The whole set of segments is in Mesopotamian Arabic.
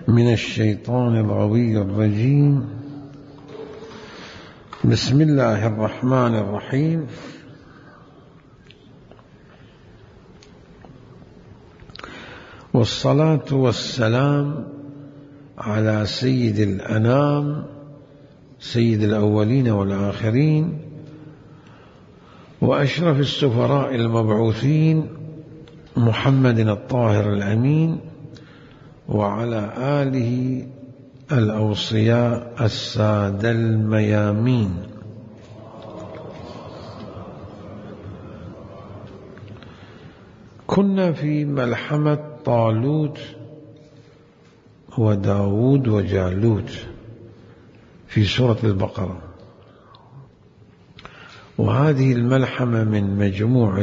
من الشيطان الغوي الرجيم. بسم الله الرحمن الرحيم. والصلاة والسلام على سيد الأنام سيد الأولين والآخرين وأشرف السفراء المبعوثين محمد الطاهر الأمين وعلى آله الأوصياء السادة الميامين. كنا في ملحمة طالوت وداود وجالوت في سورة البقرة، وهذه الملحمة من مجموعة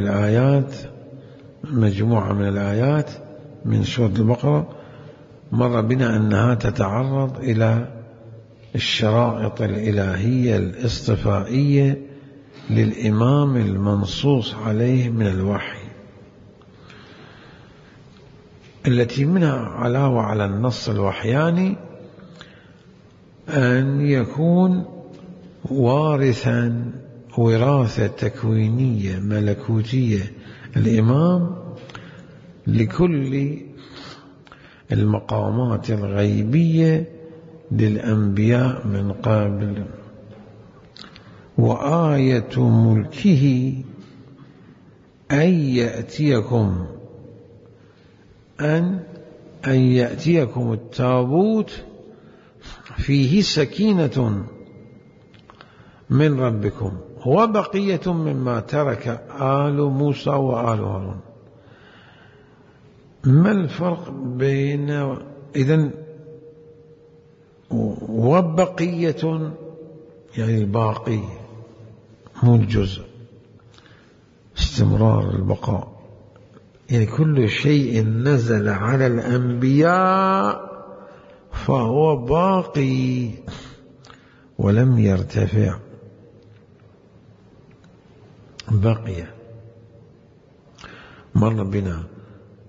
من الآيات من سورة البقرة مر بنا أنها تتعرض إلى الشرائط الإلهية الاصطفائية للإمام المنصوص عليه من الوحي، التي منها علاوة على النص الوحياني أن يكون وارثا وراثة تكوينية ملكوتية الإمام لكل المقامات الغيبية للأنبياء من قبل. وآية ملكه أن يأتيكم التابوت فيه سكينة من ربكم وبقية مما ترك آل موسى وآل هارون. ما الفرق بين إذن وبقية يعني الباقي مو الجزء، استمرار البقاء، يعني كل شيء نزل على الأنبياء فهو باقي ولم يرتفع، بقي. مر بنا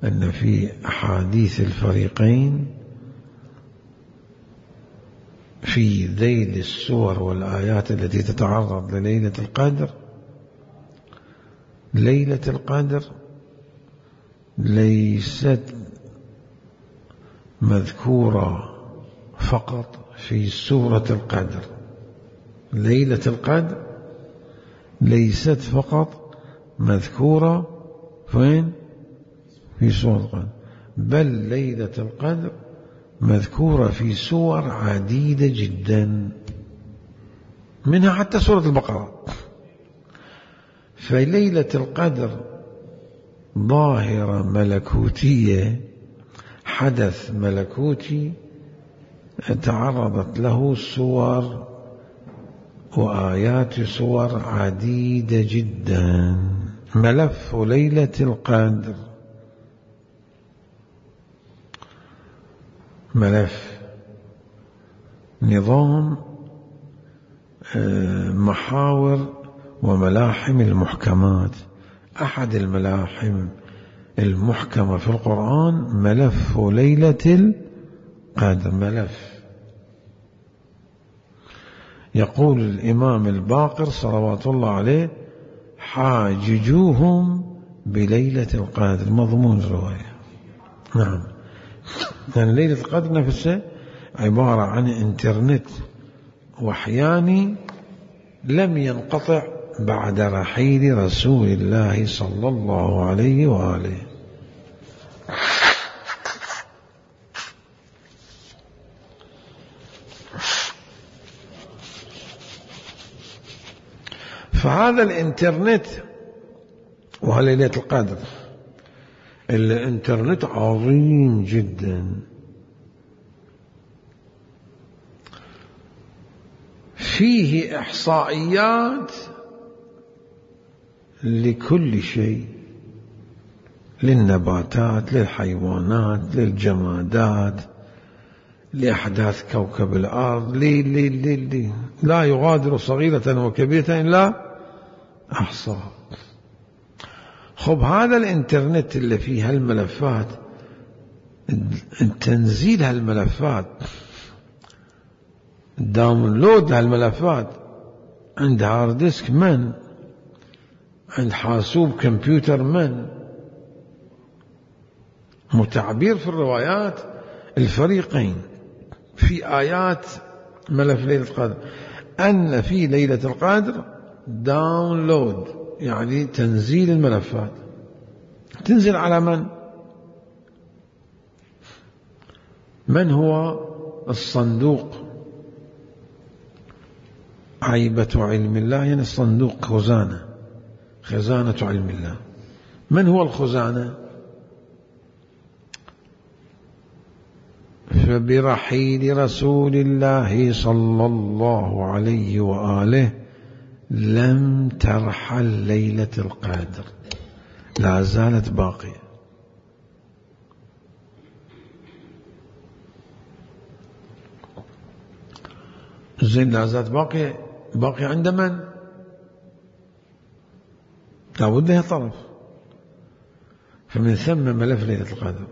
أن في أحاديث الفريقين في ذيل السور والآيات التي تتعرض لليلة القدر، ليلة القدر ليست مذكورة فقط في سورة القدر، ليلة القدر ليست فقط مذكورة فين؟ في سورة القدر، بل ليلة القدر مذكورة في سور عديدة جدا، منها حتى سورة البقرة. فليلة القدر ظاهرة ملكوتية، حدث ملكوتي تعرضت له سور وآيات سور عديدة جدا. ملف ليلة القدر ملف نظام محاور وملاحم المحكمات. أحد الملاحم المحكمة في القرآن ملف ليلة القدر. ملف يقول الإمام الباقر صلوات الله عليه: حاججوهم بليلة القدر. مضمون الرواية. نعم، يعني ليلة القدر نفسها عبارة عن انترنت وحياني لم ينقطع بعد رحيل رسول الله صلى الله عليه وآله. فهذا الانترنت وليلة القدر الانترنت عظيم جدا، فيه إحصائيات لكل شيء، للنباتات، للحيوانات، للجمادات، لأحداث كوكب الأرض، لا يغادر صغيرة وكبيرة إلا أحصاها. خب هذا الانترنت اللي فيه هالملفات تنزيل هالملفات، داونلود هالملفات عند هارد ديسك من؟ عند حاسوب كمبيوتر من؟ متعبير في الروايات الفريقين في آيات ملف ليلة القدر أن في ليلة القدر داونلود، يعني تنزيل الملفات. تنزل على من؟ من هو الصندوق؟ عيبة علم الله يعني الصندوق خزانة، خزانة علم الله. من هو الخزانة؟ فبرحيل رسول الله صلى الله عليه وآله لم ترحل ليلة القدر، لا زالت باقية. زين، لا زالت باقية عند من؟ لابد لها طرف. فمن ثم ملف ليلة القدر.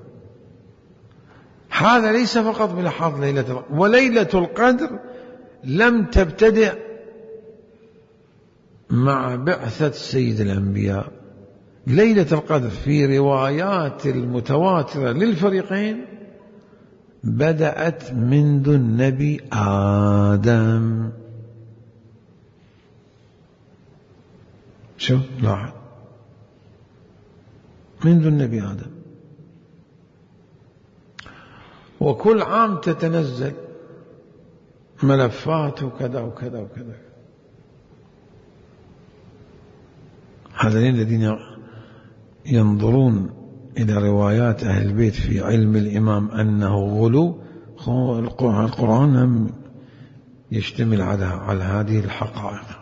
هذا ليس فقط بلحاظ ليلة القدر، وليلة القدر لم تبتدئ مع بعثة سيد الأنبياء. ليلة القدر في روايات المتواترة للفريقين بدأت منذ النبي آدم. شو لاحظ، منذ النبي آدم، وكل عام تتنزل ملفات وكذا وكذا وكذا. هذين الذين ينظرون إلى روايات أهل البيت في علم الإمام أنه غلو، القرآن يشتمل على هذه الحقائق،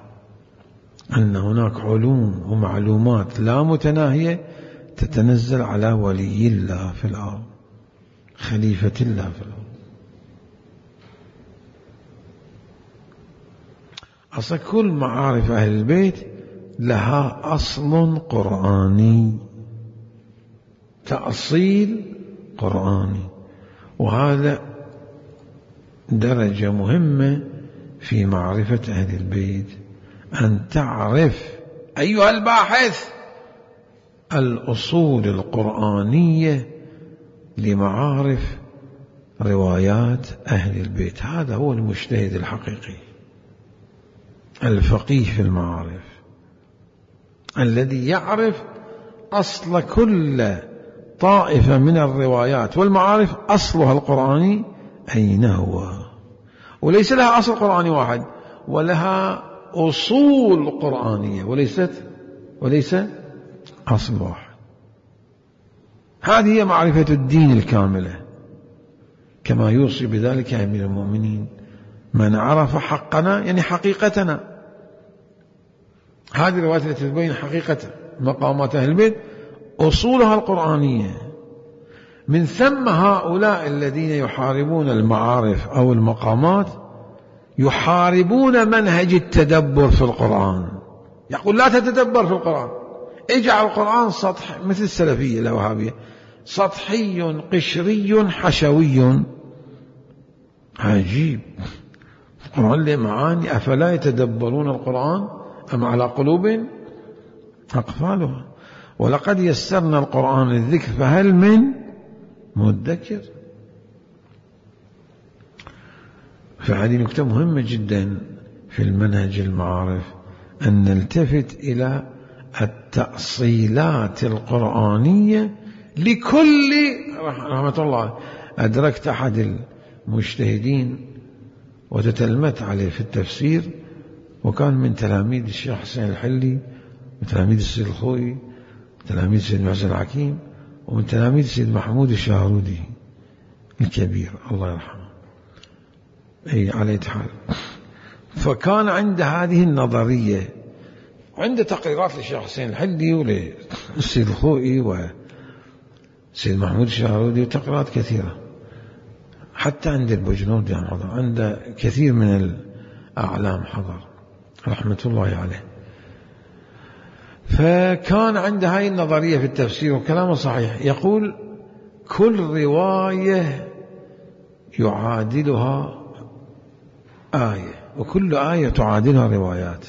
أن هناك علوم ومعلومات لا متناهية تتنزل على ولي الله في الأرض، خليفة الله في الأرض. أصلا كل معارف أهل البيت لها أصل قرآني، تأصيل قرآني، وهذا درجة مهمة في معرفة أهل البيت، أن تعرف أيها الباحث الأصول القرآنية لمعارف روايات أهل البيت. هذا هو المجتهد الحقيقي، الفقيه في المعارف، الذي يعرف أصل كل طائفة من الروايات والمعارف، أصلها القرآني أين هو، وليس لها أصل قرآني واحد، ولها أصول قرآنية، وليس أصل واحد. هذه هي معرفة الدين الكاملة، كما يوصي بذلك أمير المؤمنين: من عرف حقنا يعني حقيقتنا. هذه الروايات التي تبين حقيقة مقامات أهل البيت أصولها القرآنية. من ثم هؤلاء الذين يحاربون المعارف أو المقامات يحاربون منهج التدبر في القرآن. يقول لا تتدبر في القرآن، اجعل القرآن سطح، مثل السلفية الوهابية، سطحي قشري حشوي. عجيب، القرآن له معاني، أفلا يتدبرون القرآن أم على قلوب أقفالها. ولقد يسرنا القرآن للذكر فهل من مدكر. فهذه نكتة مهمة جدا في المنهج المعارف، أن نلتفت إلى التأصيلات القرآنية لكل رحمة الله. أدركت أحد المجتهدين وتتلمت عليه في التفسير، وكان من تلاميذ الشيخ حسين الحلي، وتلاميذ السيد الخوئي، وتلاميذ السيد محسن الحكيم، ومن تلاميذ السيد محمود الشاهرودي الكبير الله يرحمه. أي على حال، فكان عند هذه النظرية، عند تقريرات للشيخ حسين الحلي وللسيد الخوئي والسيد محمود الشاهرودي، وتقريرات كثيرة، حتى عند البجنودي حضر، عند كثير من الأعلام حضر رحمة الله عليه. فكان عند هاي النظرية في التفسير، وكلامه صحيح، يقول كل رواية يعادلها آية، وكل آية تعادلها روايات،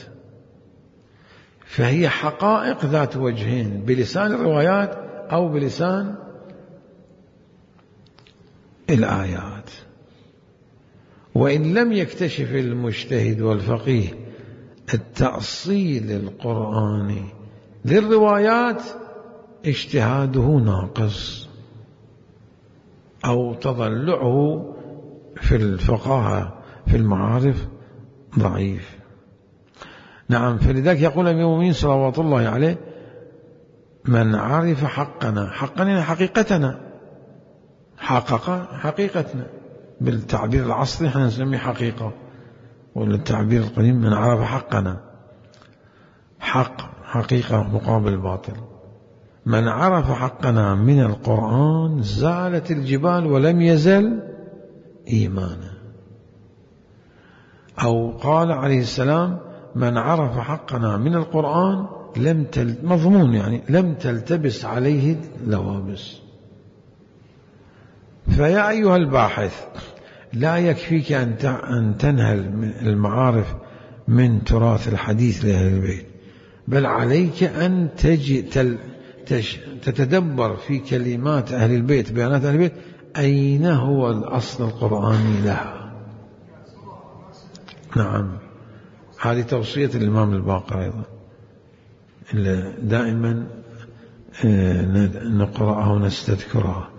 فهي حقائق ذات وجهين بلسان الروايات أو بلسان الآيات. وإن لم يكتشف المجتهد والفقيه التأصيل القرآني للروايات اجتهاده ناقص أو تضلعه في الفقاهة في المعارف ضعيف. نعم، فلذلك يقول أمير المؤمنين صلوات الله عليه: من عرف حقنا، حقنا حقيقتنا، حقق حقيقتنا، بالتعبير العصري احنا نسميه حقيقة، والتعبير القديم من عرف حقنا، حق حقيقة مقابل باطل. من عرف حقنا من القرآن زالت الجبال ولم يزل إيمانا. أو قال عليه السلام: من عرف حقنا من القرآن مضمون يعني لم تلتبس عليه اللوابس. فيا أيها الباحث، لا يكفيك أن تنهل المعارف من تراث الحديث لأهل البيت، بل عليك أن تتدبر في كلمات أهل البيت، بيانات أهل البيت، أين هو الأصل القرآني لها. نعم، هذه توصية الإمام الباقر أيضا، دائما نقرأها ونستذكرها.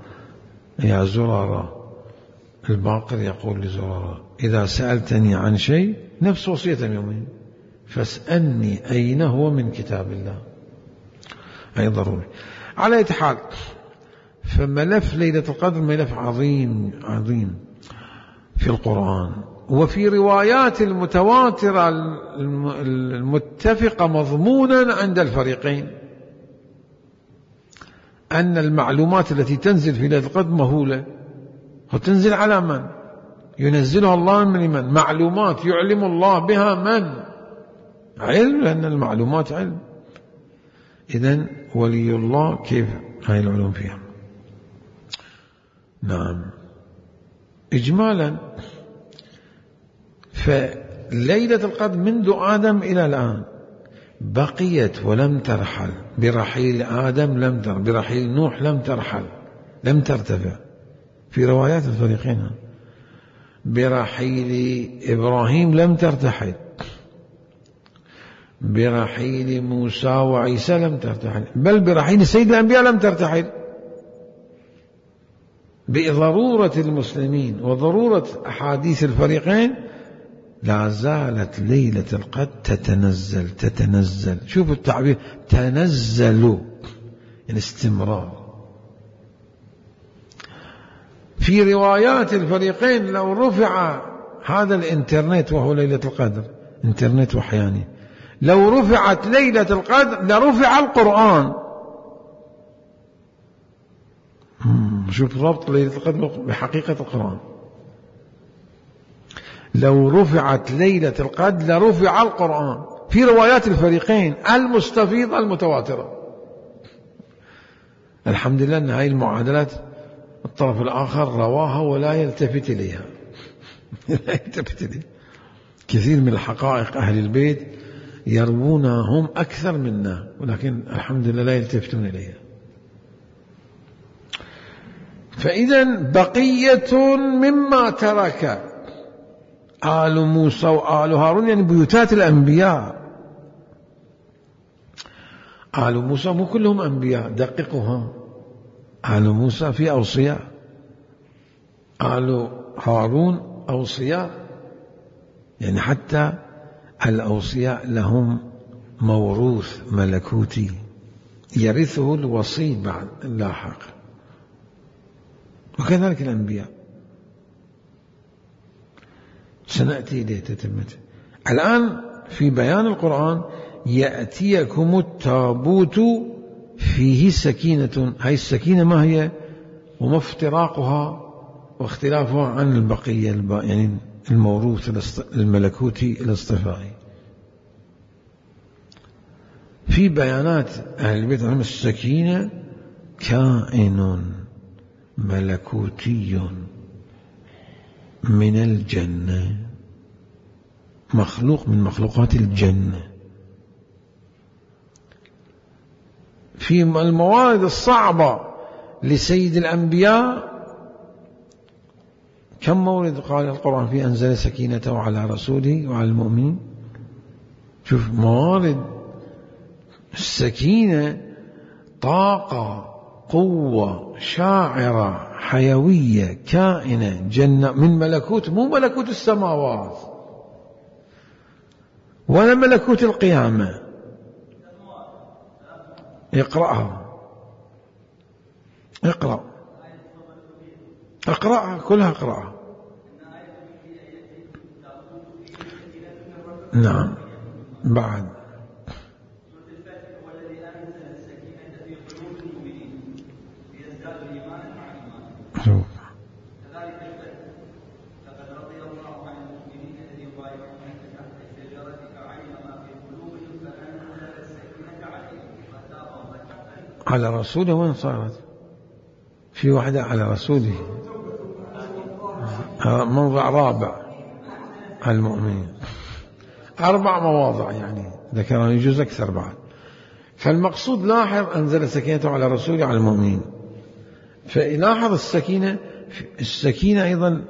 يا زرارة، الباقر يقول لزرارة: إذا سألتني عن شيء، نفس وصية يومين، فاسألني أين هو من كتاب الله. أي ضروري. على أي حال، فملف ليلة القدر ملف عظيم عظيم في القرآن، وفي روايات المتواترة المتفقة مضمونا عند الفريقين، أن المعلومات التي تنزل في ليلة القدر مهولة، وتنزل على من؟ ينزلها الله من معلومات يعلم الله بها من؟ علم، لأن المعلومات علم. إذن ولي الله كيف هاي العلوم فيها. نعم، إجمالا فليلة القدر منذ آدم إلى الآن بقيت ولم ترحل. برحيل آدم لم ترحل، برحيل نوح لم ترحل، لم ترتفع في روايات الفريقين. برحيل إبراهيم لم ترتحل، برحيل موسى وعيسى لم ترتحل، بل برحيل سيد الأنبياء لم ترتحل. بضرورة المسلمين وضرورة أحاديث الفريقين لا زالت ليلة القدر تتنزل. شوفوا التعبير، تنزل يعني استمرار. في روايات الفريقين لو رفع هذا الإنترنت وهو ليلة القدر، إنترنت وحياني، لو رفعت ليلة القدر لرفع القرآن. شوف ربط ليلة القدر بحقيقة القرآن. لو رفعت ليلة القدر لرفع القرآن في روايات الفريقين المستفيضة المتواترة. الحمد لله أن هذه المعادلات الطرف الآخر رواها ولا يلتفت إليها. لا يلتفت إليها. كثير من الحقائق أهل البيت يروونها هم أكثر منا، ولكن الحمد لله لا يلتفتون إليها. فإذا بقية مما ترك آل موسى وآل هارون، يعني بيوتات الأنبياء. آل موسى مو كلهم أنبياء، دققوها. آل موسى في أوصياء، آل هارون أوصياء، يعني حتى الأوصياء لهم موروث ملكوتي يرثه الوصي بعد اللاحق، وكذلك الأنبياء. سنأتي إليه تتمته. الآن في بيان القرآن: يأتيكم التابوت فيه سكينة. هاي السكينة ما هي وما افتراقها واختلافها عن البقية، يعني الموروث الملكوتي الاصطفائي. في بيانات أهل البيت عن السكينة كائن ملكوتي من الجنة، مخلوق من مخلوقات الجنة. في الموارد الصعبة لسيد الأنبياء كم مورد قال القرآن فيه أنزل سكينته على رسوله وعلى المؤمنين؟ شوف موارد السكينة، طاقة، قوة، شاعرة، حيوية، كائنة، جنة، من ملكوت، مو ملكوت السماوات ولا ملكوت القيامة. اقرأها، اقرأها كلها، اقرأها. نعم. بعد شوف على رسوله. وين صارت؟ في واحدة على رسوله، موضع رابع المؤمنين، 4 مواضع يعني ذكرها، يجوز أكثر بعد. فالمقصود لاحظ أنزل سكينته على رسوله على المؤمنين. فلاحظ السكينة أيضا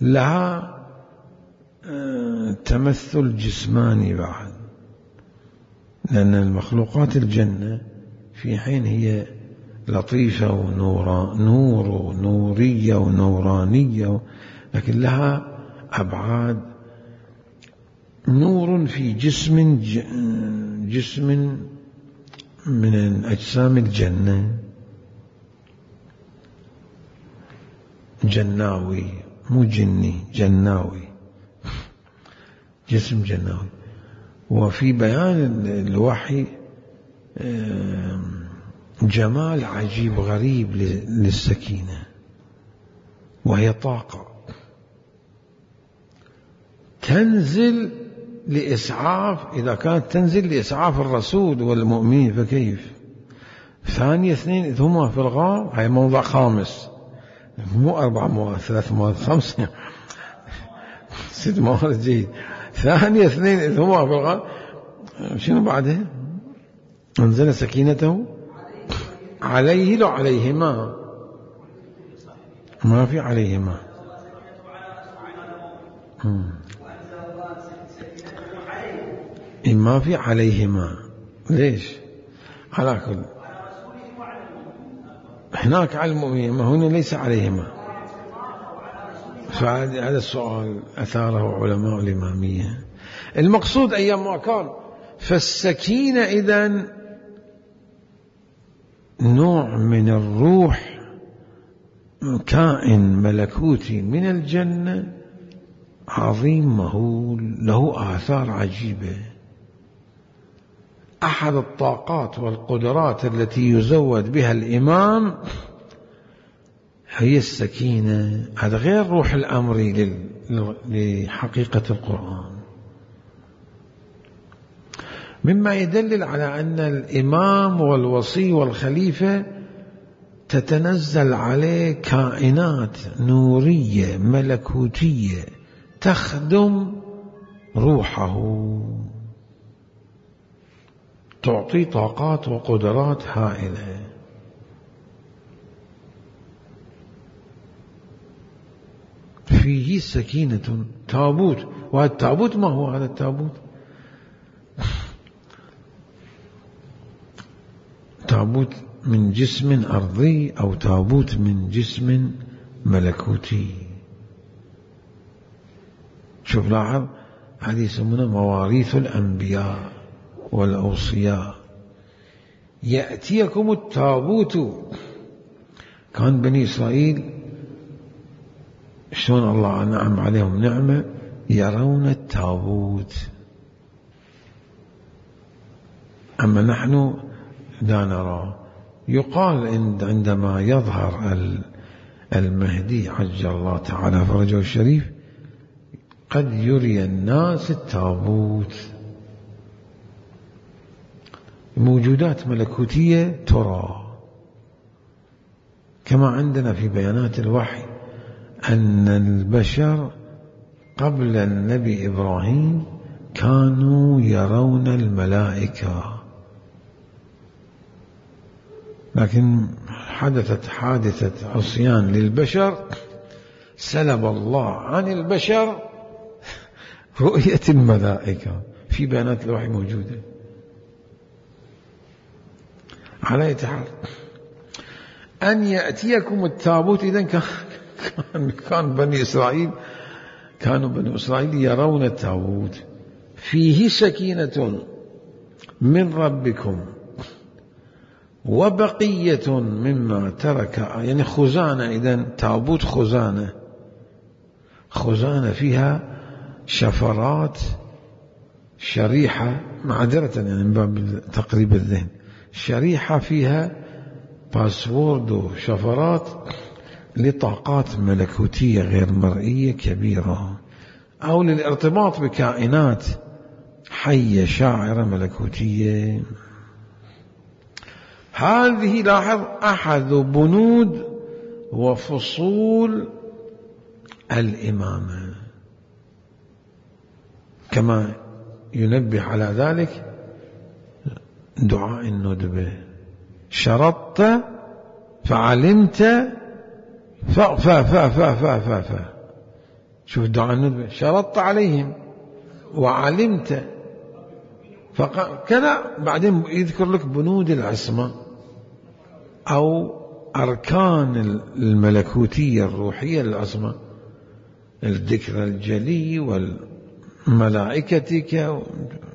لها تمثل جسماني بعد، لأن المخلوقات الجنة في حين هي لطيفة ونورية ونورانية، لكن لها أبعاد. نور في جسم من أجسام الجنة، جناوي، مو جني، جناوي، جسم جناوي. وفي بيان الوحي جمال عجيب غريب للسكينة، وهي طاقة تنزل لإسعاف، إذا كانت تنزل لإسعاف الرسول والمؤمنين فكيف؟ ثانية 2 إذ هما في الغار، هاي موضع خامس، مو 4 مواد، 3 مواد، 5 6 مواد جيد. ثانية 2 إذ هما في الغار، شنو بعدها؟ أنزل سكينته عليه، لو عليهما، ما في عليهما. ما في عليهما، ليش؟ على كل هناك على المؤمنين، ما هنا ليس عليهما. فهذا السؤال أثاره علماء الإمامية. المقصود أيام ما كان، فالسكينة إذن نوع من الروح، كائن ملكوتي من الجنة عظيم مهول، له آثار عجيبة. أحد الطاقات والقدرات التي يزود بها الإمام هي السكينة. هذا غير روح الأمر لحقيقة القرآن، مما يدلل على أن الإمام والوصي والخليفة تتنزل عليه كائنات نورية ملكوتية تخدم روحه، تعطي طاقات وقدرات هائلة. فيه سكينة. تابوت، وهذا التابوت ما هو هذا التابوت؟ تابوت من جسم أرضي أو تابوت من جسم ملكوتي. شوف لاحظ، هذه يسمونها مواريث الأنبياء والأوصياء. يأتيكم التابوت. كان بني إسرائيل شلون الله أنعم عليهم نعمة، يرون التابوت، أما نحن لا نرى. يقال عندما يظهر المهدي عجل الله تعالى فرجه الشريف قد يري الناس التابوت. موجودات ملكوتية ترى كما عندنا في بيانات الوحي أن البشر قبل النبي إبراهيم كانوا يرون الملائكة، لكن حدثت حادثة عصيان للبشر سلب الله عن البشر رؤية الملائكة. في بيانات الوحي موجودة. على أي حال أن يأتيكم التابوت، إذن كان بني إسرائيل يرون التابوت فيه سكينة من ربكم وبقية مما ترك، يعني خزانة. إذن تابوت خزانة فيها شفرات شريحة، معذرة يعني من باب تقريب الذهن، شريحة فيها باسورد وشفرات لطاقات ملكوتية غير مرئية كبيرة، أو للارتباط بكائنات حية شاعرة ملكوتية. هذه لاحظ أحد بنود وفصول الإمامة، كما ينبه على ذلك دعاء الندبة: شرطت فعلمت شوف دعاء الندبة: شرطت عليهم وعلمت كذا. بعدين يذكر لك بنود العصمة أو أركان الملكوتية الروحية للعصمة: الذكر الجلي والملائكتك.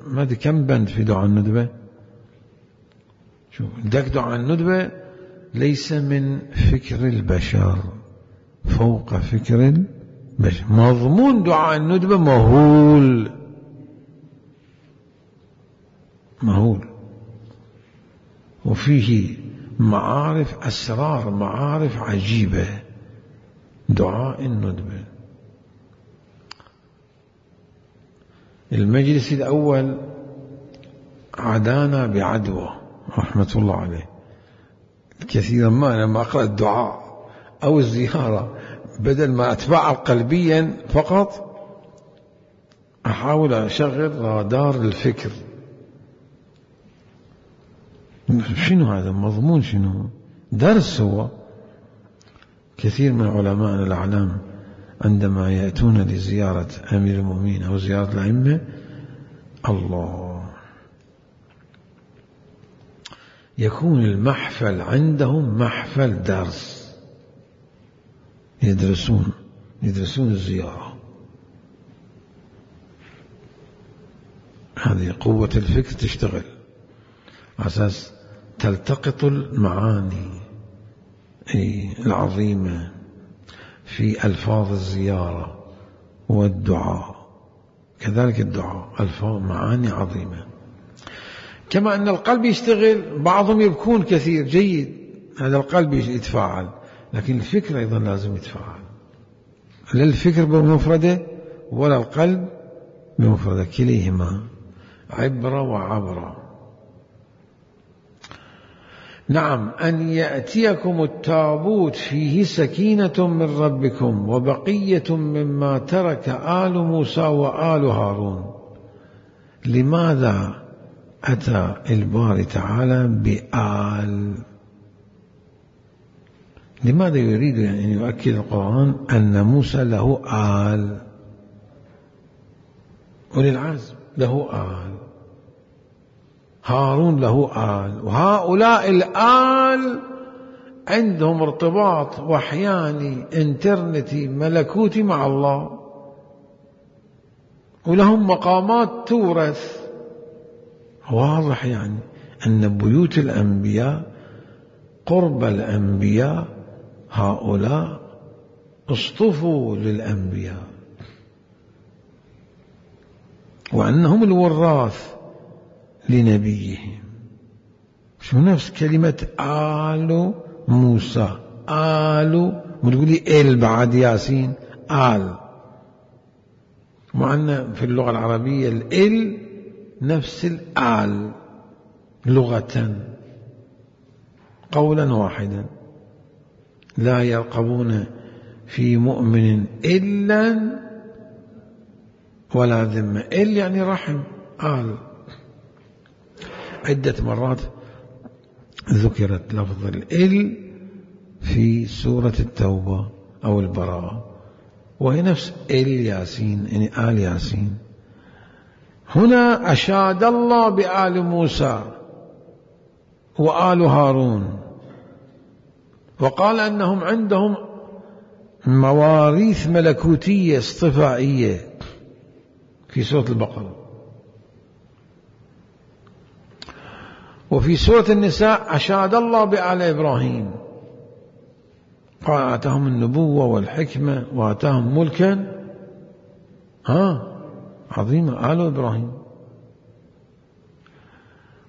ما أدري كم بند في دعاء الندبة. شوف دعاء الندبة ليس من فكر البشر، فوق فكر البشر. مضمون دعاء الندبة مهول، وفيه معارف أسرار، معارف عجيبة. دعاء الندبة. المجلس الأول عدانا بعدوى رحمة الله عليه. كثيرا ما لما أقرأ الدعاء أو الزيارة بدل ما أتفاعل قلبيا فقط أحاول أشغل رادار الفكر. شنو هذا مضمون؟ شنو درس؟ هو كثير من علماء الأعلام عندما يأتون لزيارة أمير المؤمنين أو زيارة الأئمة، الله، يكون المحفل عندهم محفل درس، يدرسون الزيارة. هذه قوة الفكر تشتغل على أساس تلتقط المعاني العظيمة في ألفاظ الزيارة والدعاء. كذلك الدعاء ألفاظ معاني عظيمة. كما أن القلب يشتغل، بعضهم يبكون كثير، جيد، هذا القلب يتفاعل، لكن الفكر أيضا لازم يتفاعل. لا الفكر بمفرده ولا القلب بمفرده، كليهما عبرة وعبرة. نعم، أن يأتيكم التابوت فيه سكينة من ربكم وبقية مما ترك آل موسى وآل هارون. لماذا أتى الباري تعالى بآل؟ لماذا يريد أن يؤكد القرآن أن موسى له آل، أولي العزم له آل، هارون له آل، وهؤلاء الآل عندهم ارتباط وحياني انترنتي ملكوتي مع الله، ولهم مقامات تورث. واضح يعني أن بيوت الأنبياء قرب الأنبياء هؤلاء اصطفوا للأنبياء، وأنهم الوراث لنبيهم. شو نفس كلمة آل موسى، آل، وتقول لي إل بعد ياسين، آل، مع أن في اللغة العربية الإل نفس الآل لغة، قولا واحدا. لا يرقبون في مؤمن إلا ولا ذمة. إل يعني رحم، آل. عدة مرات ذكرت لفظ الإل في سورة التوبة أو البراءة، وهي نفس إل ياسين، يعني آل ياسين. هنا أشاد الله بآل موسى وآل هارون، وقال أنهم عندهم مواريث ملكوتية اصطفائية في سورة البقرة. وفي سورة النساء أشاد الله بآل إبراهيم، قال آتاهم النبوة والحكمة وآتاهم ملكا عظيما، آل إبراهيم.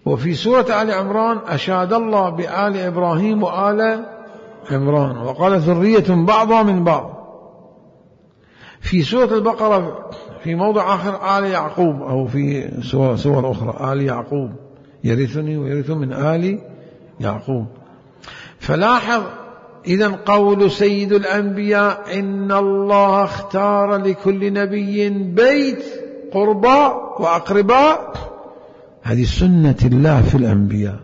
وفي سورة آل عمران أشاد الله بآل إبراهيم وآل عمران، وقال ذرية بعضها من بعض. في سورة البقرة في موضع آخر آل يعقوب، أو في سور أخرى آل يعقوب يرثني ويرث من آل يعقوب. فلاحظ إذن قول سيد الأنبياء إن الله اختار لكل نبي بيت قرباء وأقرباء، هذه سنة الله في الأنبياء،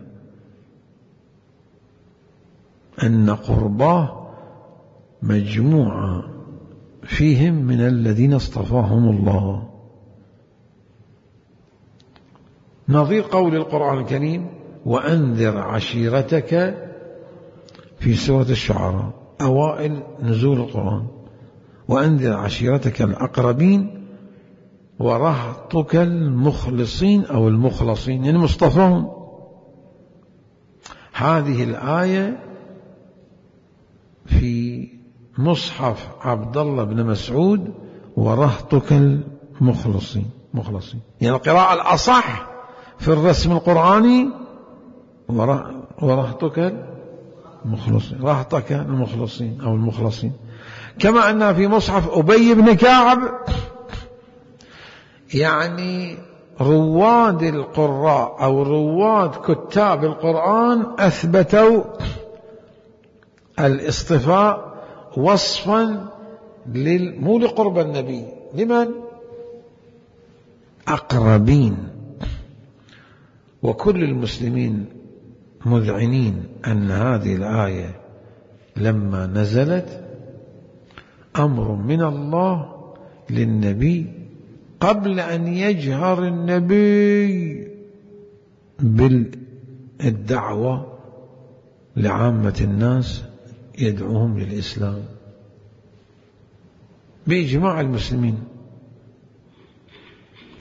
أن قرباه مجموعة فيهم من الذين اصطفاهم الله. نظير قول القرآن الكريم وأنذر عشيرتك في سورة الشعراء، أوائل نزول القرآن، وأنذر عشيرتك الأقربين ورهطك المخلصين أو المخلصين، يعني مصطفون. هذه الآية في مصحف عبد الله بن مسعود ورهطك المخلصين، يعني القراءة الأصح في الرسم القرآني ورهطك المخلصين، رهطك المخلصين أو المخلصين. كما أن في مصحف أبي بن كعب، يعني رواد القراء أو رواد كتاب القرآن أثبتوا الاصطفاء وصفا مو لقرب النبي، لمن؟ أقربين. وكل المسلمين مذعنين أن هذه الآية لما نزلت أمر من الله للنبي قبل أن يجهر النبي بالدعوة لعامة الناس يدعوهم للإسلام بإجماع المسلمين.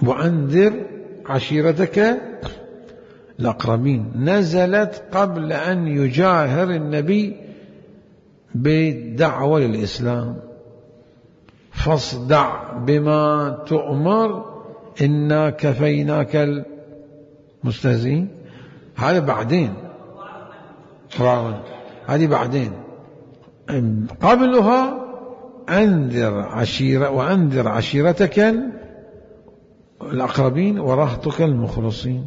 وأنذر عشيرتك الأقربين نزلت قبل أن يجاهر النبي بالدعوة للإسلام. فاصدع بما تؤمر إنا كفيناك المستهزئين. هذا بعدين، هذه بعدين. قبلها وأنذر عشيرتك الأقربين ورهطك المخلصين.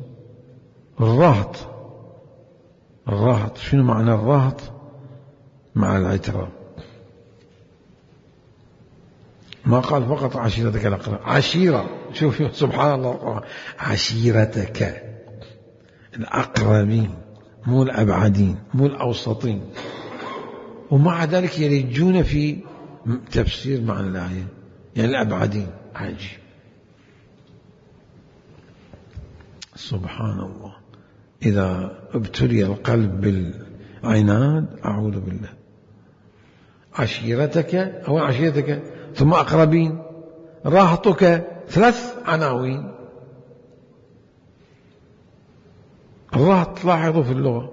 الرهط شنو معنى الرهط؟ مع العترة. ما قال فقط عشيرتك الأقرب، عشيرة. شوف سبحان الله، عشيرتك الأقربين، مو الأبعدين، مو الأوسطين. ومع ذلك يلجون في تفسير معنى الآية، يعني الأبعدين. عجيب، سبحان الله. إذا ابتلي القلب بالعناد أعوذ بالله. عشيرتك أو عشيرتك ثم أقربين، رهطك، 3 عناوين. الرهط لاحظوا في اللغة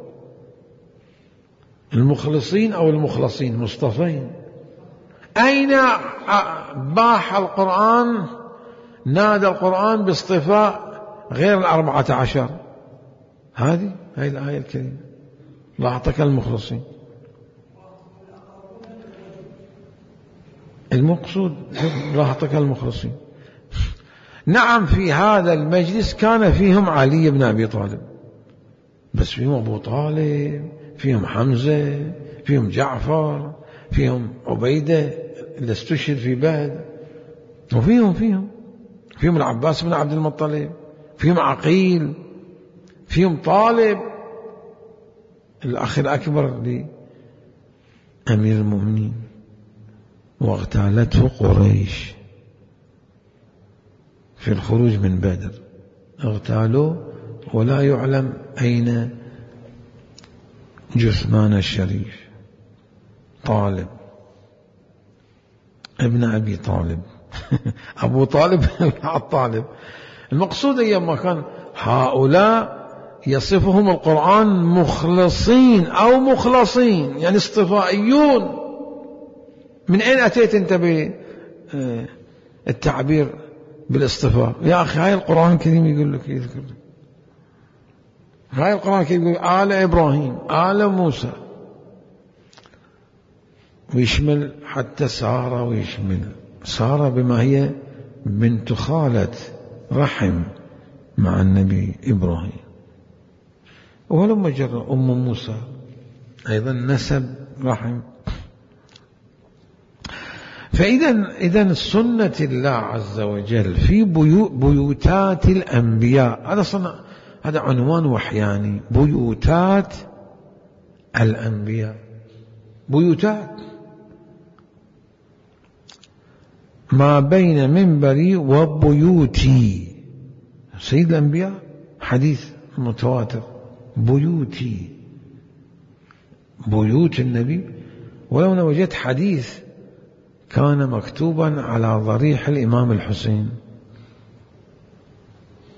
المخلصين أو المخلصين، مصطفين. أين باح القرآن، نادى القرآن باصطفاء غير 14؟ هذه الآية الكريمة، رهطك المخلصين. المقصود رهطك المخلصين. نعم، في هذا المجلس كان فيهم علي بن أبي طالب، بس فيهم أبو طالب، فيهم حمزة، فيهم جعفر، فيهم عبيدة اللي استشهد في بدر، وفيهم العباس بن عبد المطلب، فيهم عقيل، فيهم طالب الأخ الأكبر لأمير المؤمنين، واغتالته قريش في الخروج من بدر، اغتالوه ولا يعلم أين جثمان الشريف طالب ابن أبي طالب أبو طالب الطالب. المقصود أيام ما كان هؤلاء يصفهم القرآن مخلصين أو مخلصين، يعني اصطفائيون. من أين أتيت أنت بالتعبير بالاصطفاء؟ يا أخي هاي القرآن الكريم يقول لك، يذكر لك هاي القرآن الكريم يقول آل إبراهيم، آل موسى، ويشمل حتى سارة، ويشمل سارة بما هي بنت خالة رحم مع النبي إبراهيم، ولما جرى أم موسى أيضا نسب رحم. فإذا سنة الله عز وجل في بيوتات الأنبياء، هذا عنوان وحياني، بيوتات الأنبياء، بيوتات ما بين منبري وبيوتي سيد الأنبياء، حديث متواتر، بيوتي بيوت النبي. ولو وجدت حديث كان مكتوبا على ضريح الإمام الحسين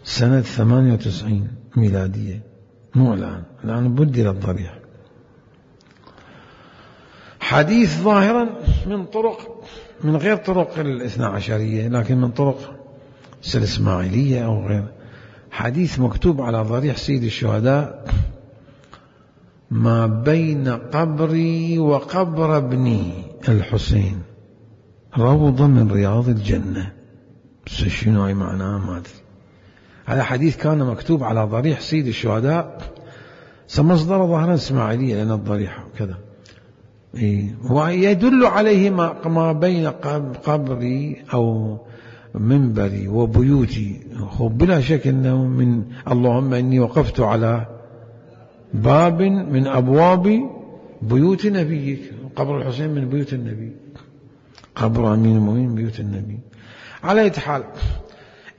سنة 98 ميلادية، مو الآن بدل الضريح، حديث ظاهرا من طرق، من غير طرق الاثنى عشرية، لكن من طرق الإسماعيلية أو غير، حديث مكتوب على ضريح سيد الشهداء: ما بين قبري وقبر ابني الحسين روضة من رياض الجنة. بس شنو هاي معناه ما أدري. هذا حديث كان مكتوب على ضريح سيد الشهداء، مصدر ظاهرا إسماعيلية لأن الضريح كذا، ويدل عليه ما بين قبري أو منبري وبيوتي. بلا شك أنه من اللهم إني وقفت على باب من أبواب بيوت نبيك، قبر الحسين من بيوت النبي، قبر أمين المؤمنين من بيوت النبي. على أي حال،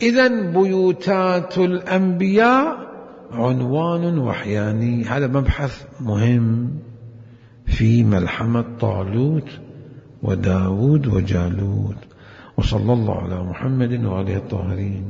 إذن بيوتات الأنبياء عنوان وحياني. هذا مبحث مهم في ملحمة طالوت وداود وجالوت. وصلى الله على محمد وآله الطاهرين.